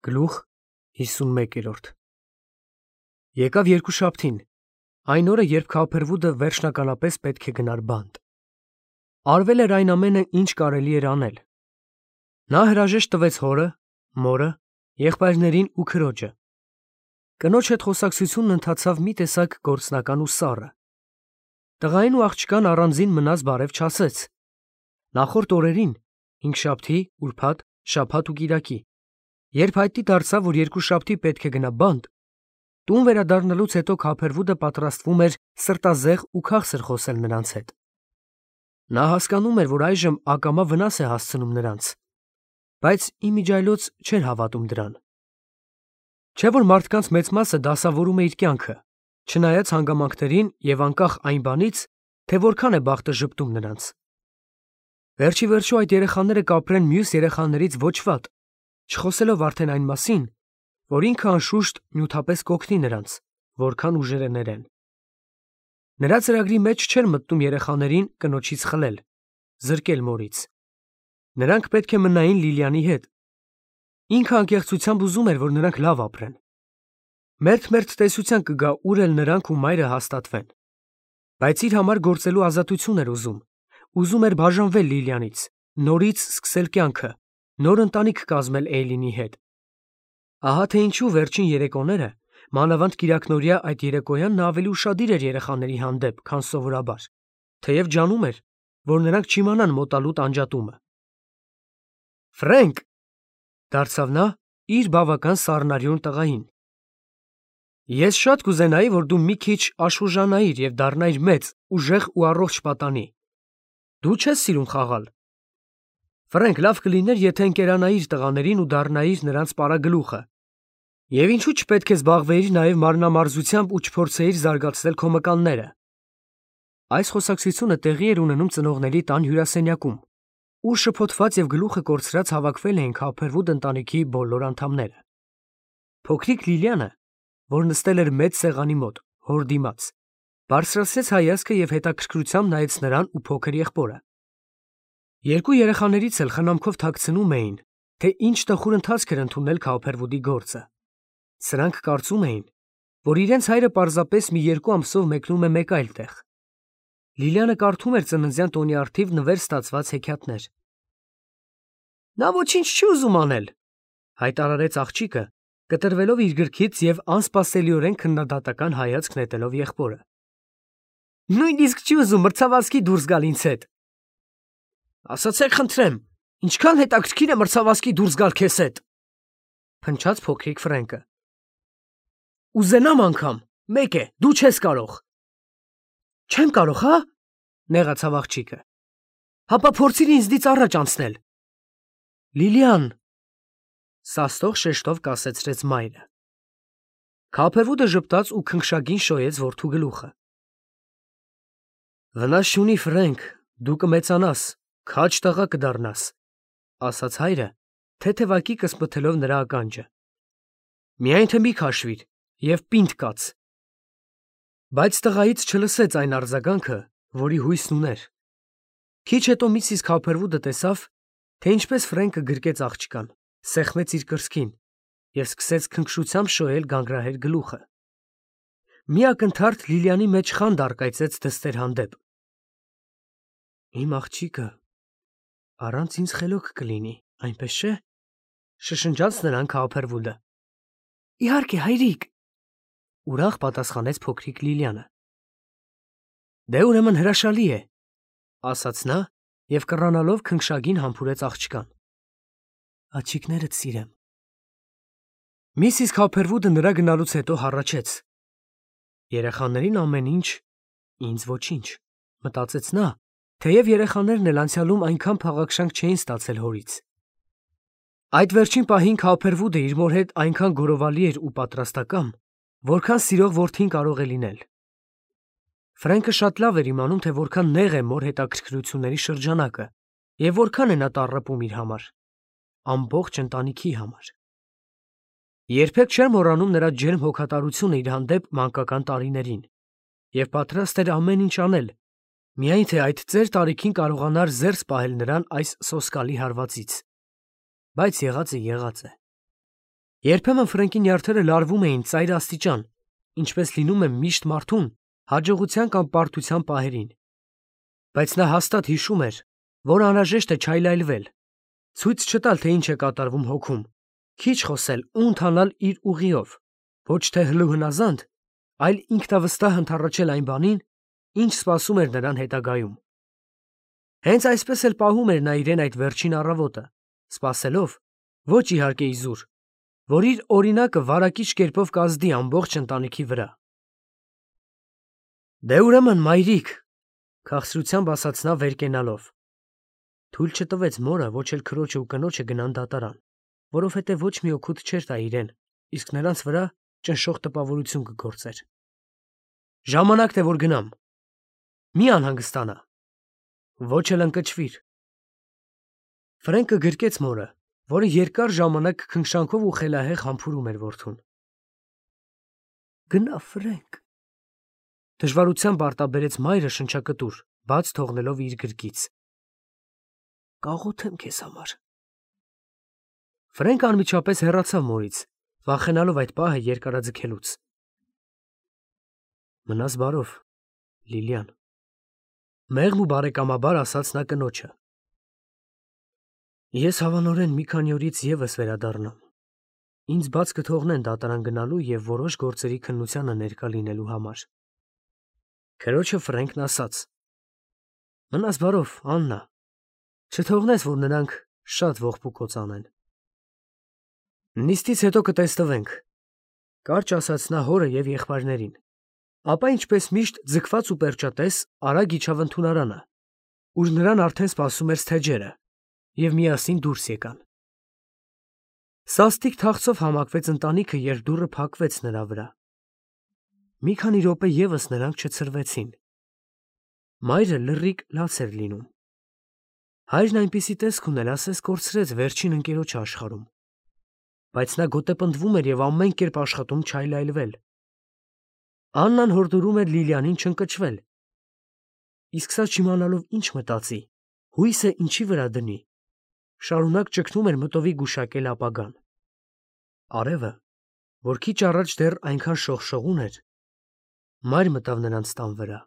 Գլուխ 51 Եկավ երկուշաբթին, այն օրը, երբ Քափերվուդը վերջնականապես պետք է գնար բանտ։ Արվել էր այն ամենը, ինչ կարելի էր անել։ Նա հրաժեշտ տվեց հորը, մորը, եղբայրներին ու քրոջը։ Կնոջ հետ խոսակցությունն ընթացավ մի տեսակ գործնական ու սառը։ Տղային ու աղջկան առանձին մնաց բարև չասեց։ Նախորդ օրերին, հինգշաբթի, ուրբաթ, շաբաթ ու կիրակի, երբ հայտնի դարձավ, որ երկուշաբթի պետք է գնա բանտ, տուն վերադառնալուց հետո Քափերվուդը պատրաստվում էր սրտազեղ ու քաղցր խոսել նրանց հետ։ Նա հասկանում էր, որ այժմ ակամա վնաս է հասցնում նրանց, բայց իմիջիայլոց չէր հավատում դրան։ Չէ՞ որ մարդկանց մեծ մասը դասավորում է իր կյանքը, չնայած հանգամանքներին և անկախ այն բանից, թե որքան է բախտը ժպտում նրանց։ Վերջ ի վերջո այդ երեխաները կապրեն մյուս երեխաներից ոչ վատ, չխոսելով արդեն այն մասին, որ ինքը անշուշտ նյութապես կօգնի նրանց, որքան ուժերը ներեն։ Նրա ծրագրի մեջ չէր մտնում երեխաներին կնոջից խլել, զրկել մորից։ Նրանք պետք է մնային Լիլիանի հետ։ Ինքը անկեղծությամբ ուզում էր, որ նրանք լավ ապրեն։ Մերթ տեսության կգա, ուր էլ նրանք ու մայրը հաստատվեն։ Բայց իր համար գործելու ազատություն էր ուզում էր բաժանվել Լիլիանից, նորից սկսել կյանքը, նոր ընտանիք կազմել Էյլինի հետ։ Ահա թե ինչու վերջին երեկոները, մանավանդ կիրակնօրյա այդ երեկոյան նա ավելի ուշադիր էր երեխաների հանդեպ, քան սովորաբար, թեև ջանում էր, որ նրանք չիմանան մոտալուտ անջատումը։ Ֆրենկ, դարձավ նա իր բավական սառնարյուն տղային։ Ես շատ կուզենայի, որ դու մի քիչ աշխուժանայիր և դառնայիր մեծ, ուժեղ ու առողջ պատանի։ Դու չես սիրում խաղալ։ Ֆրենկ, լավ կլիներ, եթե ընկերանայիր տղաներին ու դառնայիր նրանց պարագլուխը։ Եվ ինչու չպետք է զբաղվեիր նաև մարմնամարզությամբ ու չփորձեիր զարգացնել քո մկանները։ Այս խոսակցությունը տեղի էր ունենում ծնողների տան հյուրասենյակում, ուր շփոթված և գլուխը կորցրած հավաքվել էին Քափերվուդ ընտանիքի բոլոր անդամները։ Փոքրիկ Լիլիանը, որ նստել էր մեծ սեղանի մոտ, հոր դիմաց, բարձրացրեց հայացքը և հետաքրքրությամբ նայեց նրան ու փոքր եղբորը։ Երկու երեխաներից էլ խնամքով թաքցնում էին, թե ինչ տխուր ընթացք էր ընդունել Քափերվուդի գործը։ Սրանք կարծում էին, որ իրենց հայրը պարզապես մի 2 ամսով մեկնում է մեկ այլ տեղ։ Լիլիանը կարդում էր ծննդյան տոնի առթիվ նվեր ստացված հեքիաթներ։ Նա ոչինչ չի ուզում անել, հայտարարեց աղջիկը, կտրվելով իր գրքից և անսպասելիորեն քննադատական հայացք նետելով եղբորը։ Նույնիսկ չի ուզում մրցավազքի դուրս գալ ինձ հետ։ Ասացեք խնդրեմ, ինչքան հետաքրքիր է մրցավազքի դուրս գալ քեզ հետ, փնչաց փոքրիկ Ֆրենկը։ Ուզենամ անգամ, մեկ է, դու չես կարող։ Չեմ կարող, հա՞, նեղացավ աղջիկը։ Հապա փորձիր ինձնից առաջ անցնել։ Լիլիան, սաստող շեշտով կասեցրեց մայրը։ Քափերվուդը ժպտաց ու քնքշագին շոյեց որդու գլուխը։ Վնաս չունի, Ֆրենկ, դու կմեծանաս, քաջ տղա կդառնաս, ասաց հայրը, թեթևակի կսպթելով նրա ականջը։ Միայն թե մի քաշվիր և պինդ կաց։ Բայց տղայից չլսեց այն արձագանքը, որի հույսն ուներ։ Քիչ հետո միսիս Քափերվուդը տեսավ, թե ինչպես Ֆրենկը գրկեց աղջկան, սեղմեց իր կրծքին և սկսեց քնքշությամբ շոյել գանգրահեր գլուխը։ Մի ակնթարթ Լիլիանի մեջ խանդ առկայծեց դստեր հանդեպ։ Իմ աղջիկը առանց ինձ խելոք կլինի, այնպես չէ՞, շշնջաց նրան Քափերվուդը։ Իհարկե, հայրիկ, ուրախ պատասխանեց փոքրիկ Լիլիանը։ Դե ուրեմն հրաշալի է, ասաց նա և կռանալով քնքշագին համբուրեց աղջկան։ Աջիկներդ սիրեմ։ Միսիս Քափերվուդը նրա գնալուց հետո հառաչեց։ Երեխաներին ամեն ինչ, ինձ ոչինչ, մտածեց նա, թեև երեխաներն էլ անցյալում այնքան փաղաքշանք չէին ստացել հորից։ Այդ վերջին պահին Քափերվուդը իր մոր հետ այնքան գոռովալի էր ու պատրաստակամ, որքան սիրող որդին կարող է լինել։ Ֆրենկը շատ լավ էր իմանում, թե որքան նեղ է մոր հետաքրքրությունների շրջանակը և որքան է նա տառապում իր համար, ամբողջ ընտանիքի համար։ Երբեք չէր մոռանում նրա ջերմ հոգատարությունը իր հանդեպ մանկական տարիներին և պատրաստ էր ամեն ինչ անել, միայն թե այդ ծեր տարիքին կարողանար զերծ պահել նրան այս սոսկալի հարվածից։ Բայց եղածը եղած է։ Երբեմն Ֆրենկի նյարդերը լարվում էին ծայր աստիճան, ինչպես լինում է միշտ մարդուն հաջողության կամ պարտության պահերին։ Բայց նա հաստատ հիշում էր, որ անհրաժեշտ է չայլայլվել, ցույց չտալ, թե ինչ է կատարվում հոգում, քիչ խոսել ու ընթանալ իր ուղիով, ոչ թե հլուհնազանդ, այլ ինքնավստահ ընդառաջել այն բանին, ինչ սպասում էր նրան հետագայում։ Հենց այսպես էլ պահում էր նա իրեն այդ վերջին առավոտը, սպասելով, ոչ իհարկե իզուր, որ իր օրինակը վարակիչ կերպով կազդի ամբողջ ընտանիքի վրա։ Դե ուրեմն, մայրիկ, քաղցրությամբ ասաց նա վեր կենալով։ Թույլ չտվեց մորը, ոչ էլ քրոջը ու կնոջը գնան դատարան, որովհետև ոչ մի օգուտ չէր տա իրեն, իսկ նրանց վրա ճնշող տպավորություն կգործեր։ Ժամանակն է, որ գնամ։ Մի անհանգստանա, ոչ էլ ընկճվիր։ Ֆրենկը գրկեց մորը, որը երկար ժամանակ քնքշանքով ու խելահեղ համբուրում էր որդուն։ Գնա, Ֆրենկ, դժվարությամբ արտաբերեց մայրը շնչակտուր, բաց թողնելով իր գրկից։ Կաղոթեմ քեզ համար։ Ֆրենկը անմիջապես հեռացավ մորից, վախենալով այդ պահը երկարաձգելուց։ Մնաս բարով, Լիլիան, մեղմ ու բարեկամաբար ասաց նա կնոջը։ Ես հավանորեն մի քանի օրից եւս վերադառնամ։ Ինձ բաց կթողնեն դատարան գնալու եւ որոշ գործերի քննությանը ներկա լինելու համար։ Քրոջը Ֆրենկն ասաց. Մնաս բարով, Աննա, չթողնես, որ նրանք շատ ողբուկոց անեն։ Նիստից հետո կտեսնվենք, կարճ ասաց նա հորը եւ եղբայրներին։ Ապա ինչպես միշտ ձգված ու պերճատես արագ իջավ ընդունարանը, ուր նրան արդեն սպասում էր սթեջերը, եւ միասին դուրս եկան։ Սաստիկ թախծով համակվեց ընտանիքը, երբ դուռը փակվեց նրա վրա։ Մի քանի րոպե եւս նրանք չցրվեցին։ Մայրը լրիկ լաց էր լինում։ Հայրն այնպիսի տեսք ուներ, ասես կորցրեց վերջին ընկերոջը աշխարհում։ Բայց նա գոտեպնդվում էր եւ ամեն կերպ աշխատում չայլայլվել։ Աննան հորդորում էր Լիլիանին չընկճվել։ Իսկ սա չիմանալով ինչ մտածի, հույսը ինչի վրա դնի, շարունակ ճգնում էր մտովի գուշակել ապագան։ Արևը, որ քիչ առաջ դեռ այնքան շողշողուն էր, մայր մտավ նրանց տան վրա։